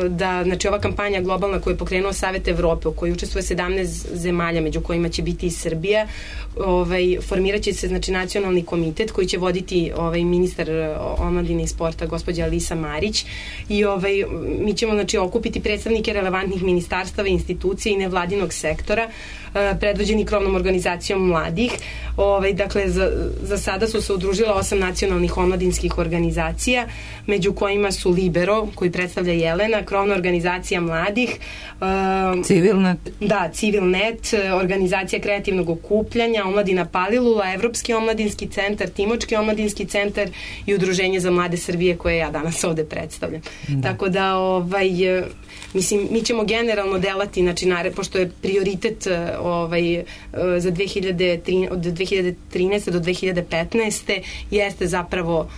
S5: da znači ova kampanja globalna koju je pokrenuo Savet Evrope u kojoj učestvuje 17 zemalja među kojima će biti i Srbija, formirat će se znači nacionalni komitet koji će voditi ministar omladine i sporta gospođa Alisa Marić i mi ćemo znači okupiti predstavnike relevantnih ministarstava, institucija i nevladinog sektora predvođeni krovnom organizacijom mladih. Dakle, za sada su se udružila 8 nacionalnih omladinskih organizacija, među kojima su Libero, koji predstavlja Jelena, krovna organizacija mladih,
S3: Civilnet.
S5: Da, Civilnet, organizacija kreativnog okupljanja, Omladina Palilula, Evropski omladinski centar, Timočki omladinski centar i Udruženje za mlade Srbije koje ja danas ovde predstavljam. Tako da, mislim, mi ćemo generalno delati, znači, pošto je prioritet za 2013. do 2015. jeste zapravo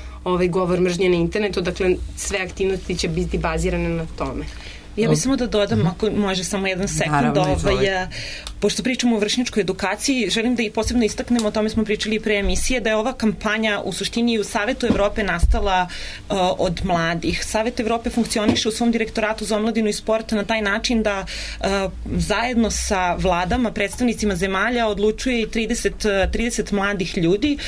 S5: govor mržnje na internetu, dakle sve aktivnosti će biti bazirane na tome.
S6: Ja bih samo da dodam, ako može samo jedan sekund, pošto pričamo o vršnjačkoj edukaciji, želim da i posebno istaknemo, o tome smo pričali i pre emisije, da je ova kampanja u suštini u Savetu Evrope nastala od mladih. Savet Evrope funkcioniše u svom direktoratu za omladinu i sport na taj način da zajedno sa vladama, predstavnicima zemalja odlučuje i 30 mladih ljudi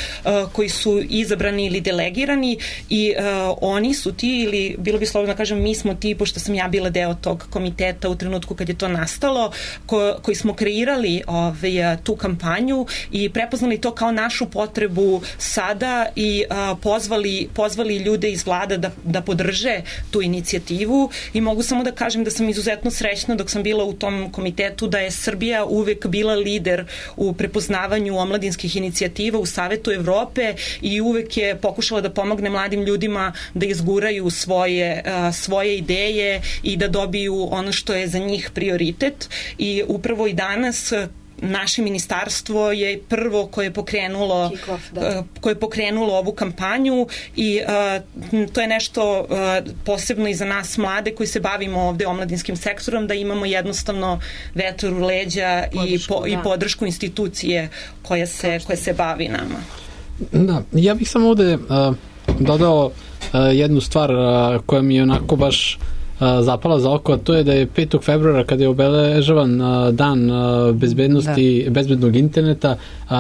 S6: koji su izabrani ili delegirani i oni su ti, ili bilo bi slobodno da kažem mi smo ti, pošto sam ja bila deo tog komiteta u trenutku kad je to nastalo, koji smo kreirali tu kampanju i prepoznali to kao našu potrebu sada i pozvali ljude iz vlada da podrže tu inicijativu i mogu samo da kažem da sam izuzetno srećna dok sam bila u tom komitetu da je Srbija uvek bila lider u prepoznavanju omladinskih inicijativa u Savetu Evrope i uvek je pokušala da pomogne mladim ljudima da izguraju svoje ideje i da dobiju ono što je za njih prioritet i upravo i danas naše ministarstvo je prvo koje je pokrenulo ovu kampanju i to je nešto posebno i za nas mlade koji se bavimo ovde omladinskim sektorom, da imamo jednostavno vetar u leđa i podršku institucije koja se bavi nama.
S4: Da, ja bih samo ovde dodao jednu stvar koja mi je onako baš zapala za oko, a to je da je 5. februara kada je obeležavan dan bezbednosti, bezbednog interneta,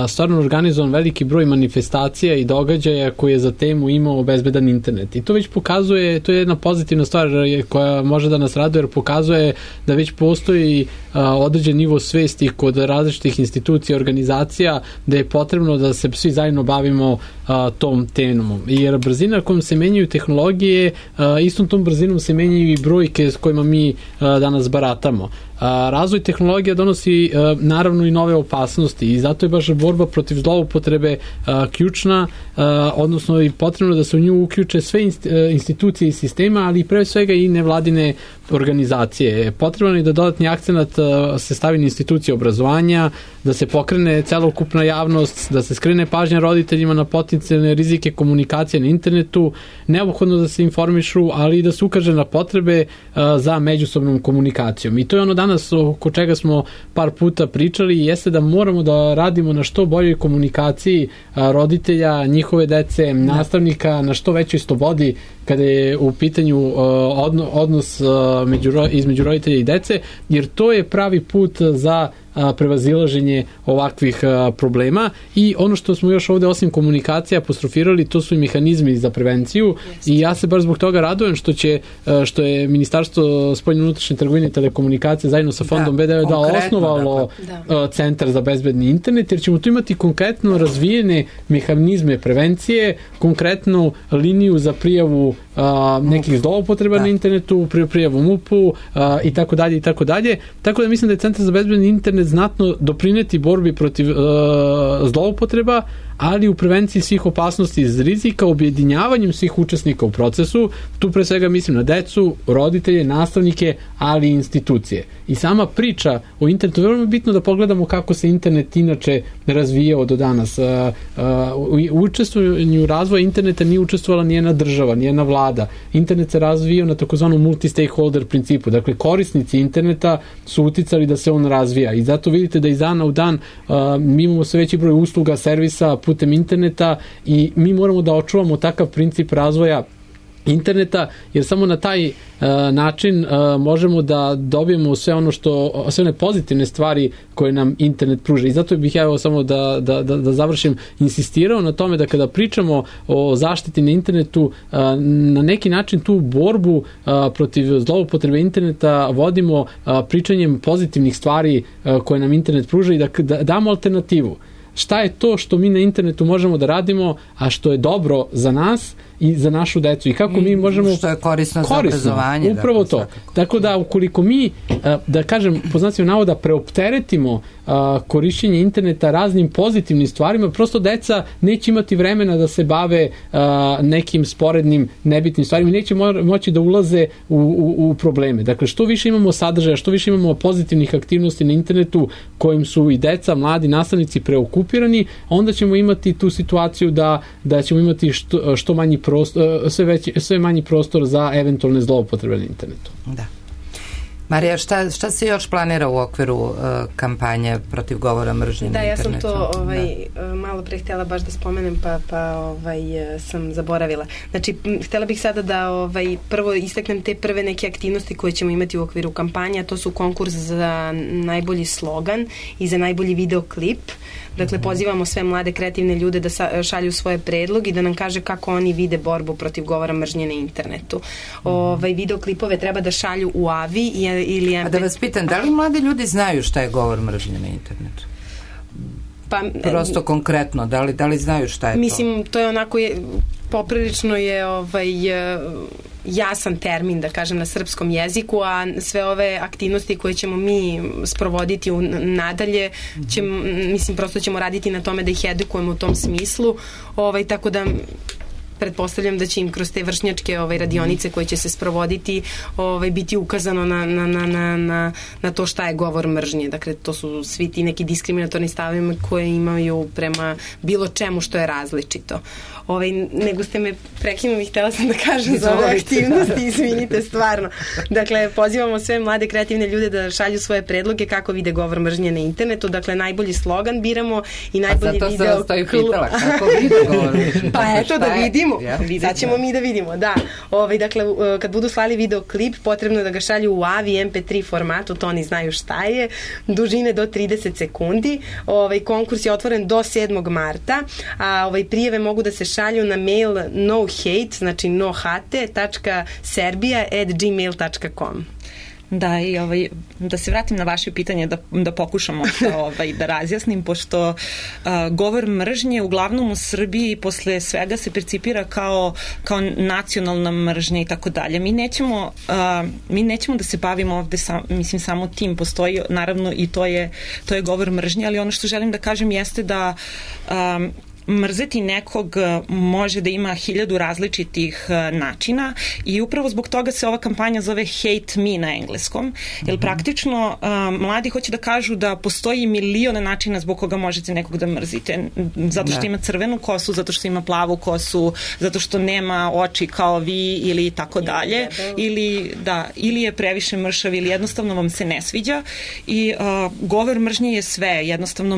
S4: stvarno organizovan veliki broj manifestacija i događaja koji je za temu imao bezbedan internet. I to već pokazuje, to je jedna pozitivna stvar koja može da nas raduje, jer pokazuje da već postoji određen nivo svesti kod različitih institucija, organizacija, da je potrebno da se svi zajedno bavimo tom temom. Jer brzina kojom se menjaju tehnologije, istom tom brzinom se menjaju i brojke s kojima mi danas baratamo. Razvoj tehnologija donosi naravno i nove opasnosti i zato je baš borba protiv zloupotrebe ključna, odnosno i potrebno da se u nju uključe sve institucije i sistema, ali pre svega i nevladine organizacije. Potrebno je da dodatni akcenat se stavi na institucije obrazovanja, da se pokrene celokupna javnost, da se skrene pažnja roditeljima na potencijalne rizike komunikacije na internetu, neophodno da se informišu, ali i da se ukaže na potrebe za međusobnom komunikacijom. I to je ono danas oko čega smo par puta pričali, jeste da moramo da radimo na što boljoj komunikaciji roditelja, njihove dece, nastavnika, na što većoj slobodi kada je u pitanju odnos između roditelja i dece, jer to je pravi put za prevazilaženje ovakvih problema. I ono što smo još ovde osim komunikacije apostrofirali, to su i mehanizmi za prevenciju. I ja se baš zbog toga radujem što je Ministarstvo spoljne unutrašnje trgovine i telekomunikacije zajedno sa fondom BDV osnovalo Centar za bezbedni internet, jer ćemo tu imati konkretno razvijene mehanizme prevencije, konkretnu liniju za prijavu nekih zloupotreba na internetu, prijavu MUP-u i tako dalje i tako dalje. Tako da mislim da je Centar za bezbedni internet znatno doprineti borbi protiv zloupotreba, ali u prevenciji svih opasnosti iz rizika, objedinjavanjem svih učesnika u procesu. Tu pre svega mislim na decu, roditelje, nastavnike, ali i institucije. I sama priča o internetu, veoma je bitno da pogledamo kako se internet inače razvijao do danas. U učestvovanju razvoja interneta nije učestvovala nijedna država, nijedna vlada. Internet se razvijao na takozvanom multi-stakeholder principu. Dakle, korisnici interneta su uticali da se on razvija. I zato vidite da iz dana u dan mi imamo sve veći broj usluga, servisa putem interneta i mi moramo da očuvamo takav princip razvoja interneta, jer samo na taj način možemo da dobijemo sve one pozitivne stvari koje nam internet pruža. I zato bih ja samo da završim, insistirao na tome da kada pričamo o zaštiti na internetu, na neki način tu borbu protiv zloupotrebe interneta vodimo pričanjem pozitivnih stvari koje nam internet pruža i da damo alternativu. Šta je to što mi na internetu možemo da radimo, a što je dobro za nas i za našu decu i kako mi možemo...
S3: Što je korisno za obrazovanje.
S4: Upravo to. Tako da ukoliko mi, da kažem, po znacima navoda, preopteretimo korišćenje interneta raznim pozitivnim stvarima, prosto deca neće imati vremena da se bave nekim sporednim, nebitnim stvarima i neće moći da ulaze u probleme. Dakle, što više imamo sadržaja, što više imamo pozitivnih aktivnosti na internetu kojim su i deca, mladi nastavnici preokupirani, onda ćemo imati tu situaciju da ćemo imati što manji sve manji prostor za eventualne zloupotrebe na internetu.
S3: Da. Marija, šta se još planira u okviru kampanje protiv govora mržnje na internetu?
S5: Da, ja sam to malo pre htjela baš da spomenem, pa sam zaboravila. Znači, htjela bih sada da prvo istaknem te prve neke aktivnosti koje ćemo imati u okviru kampanje, a to su konkurs za najbolji slogan i za najbolji videoklip. Dakle, pozivamo sve mlade kreativne ljude da šalju svoje predloge i da nam kaže kako oni vide borbu protiv govora mržnje na internetu. Videoklipove treba da šalju u AVI ili...
S3: A da vas pitam, da li mladi ljudi znaju šta je govor mržnje na internetu? Prosto konkretno, da li znaju šta je to?
S5: Mislim, to je onako, poprilično je jasan termin, da kažem, na srpskom jeziku, a sve ove aktivnosti koje ćemo mi sprovoditi nadalje, prosto ćemo raditi na tome da ih edukujemo u tom smislu, tako da pretpostavljam da će im kroz te vršnjačke radionice koje će se sprovoditi biti ukazano na to šta je govor mržnje. Dakle, to su svi ti neki diskriminatorni stavovi koje imaju prema bilo čemu što je različito. Nego ste me prekinuli, htjela sam da kažem za ove aktivnosti, izvinite, stvarno. Dakle, pozivamo sve mlade kreativne ljude da šalju svoje predloge kako vide govor mržnje na internetu. Dakle, najbolji slogan biramo i najbolji video...
S3: A zato sam vas to i pitala, kako vide govor mržnje?
S5: Pa eto, da vidimo. Sad ćemo mi da vidimo, da. Dakle, kad budu slali videoklip, potrebno je da ga šalju u AVI, MP3 formatu, to oni znaju šta je, dužine do 30 sekundi. Konkurs je otvoren do 7. marta, a prijave mogu da se šalju na mail nohate, znači nohate.serbia@gmail.com.
S6: Da, i da se vratim na vaše pitanje, da pokušamo da razjasnim, pošto govor mržnje uglavnom u Srbiji posle svega se percipira kao nacionalna mržnja i tako dalje. Mi nećemo da se bavimo ovde samo tim, postoji naravno i to je govor mržnje, ali ono što želim da kažem jeste da mrzeti nekog može da ima 1000 različitih načina i upravo zbog toga se ova kampanja zove Hate Me na engleskom, jer praktično mladi hoće da kažu da postoji miliona načina zbog koga možete nekog da mrzite, zato što ima crvenu kosu, zato što ima plavu kosu, zato što nema oči kao vi ili tako dalje, ili je previše mršav ili jednostavno vam se ne sviđa i govor mržnje je sve, jednostavno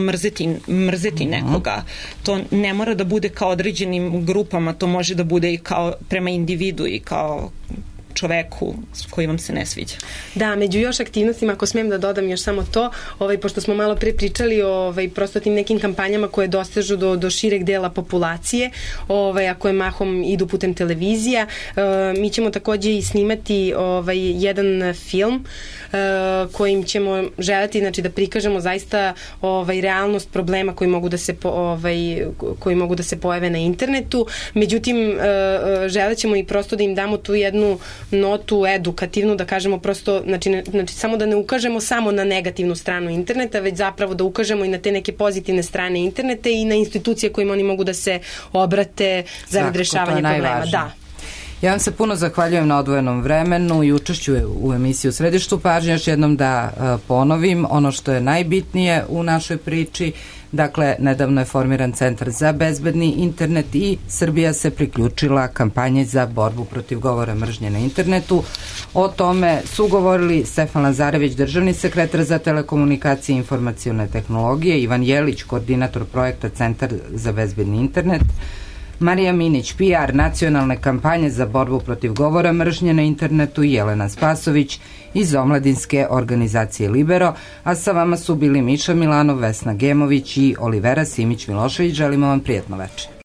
S6: mrzeti nekoga. To ne mora da bude kao određenim grupama, to može da bude i kao prema individu i kao čoveku koji vam se ne sviđa.
S5: Da, među još aktivnostima, ako smijem da dodam još samo to, pošto smo malo pre pričali o prosto tim nekim kampanjama koje dostežu do šireg dela populacije, a koje mahom idu putem televizija, mi ćemo takođe i snimati jedan film kojim ćemo želeti, znači, da prikažemo zaista realnost problema koji mogu da se pojave na internetu. Međutim, želet ćemo i prosto da im damo tu jednu notu edukativnu, da kažemo prosto, znači samo da ne ukažemo samo na negativnu stranu interneta, već zapravo da ukažemo i na te neke pozitivne strane interneta i na institucije kojima oni mogu da se obrate za rešavanje problema. Da.
S3: Ja vam se puno zahvaljujem na odvojenom vremenu i učešću u emisiji U središtu pažnje. Još jednom da ponovim ono što je najbitnije u našoj priči. Dakle, nedavno je formiran Centar za bezbedni internet i Srbija se priključila kampanji za borbu protiv govora mržnje na internetu. O tome su govorili Stefan Lazarević, državni sekretar za telekomunikacije i informacione tehnologije, Ivan Jelić, koordinator projekta Centar za bezbedni internet, Marija Minić, PR nacionalne kampanje za borbu protiv govora mržnje na internetu i Jelena Spasović iz omladinske organizacije Libero, a sa vama su bili Miša Milanov, Vesna Gemović i Olivera Simić-Milošević. Želimo vam prijatno večer.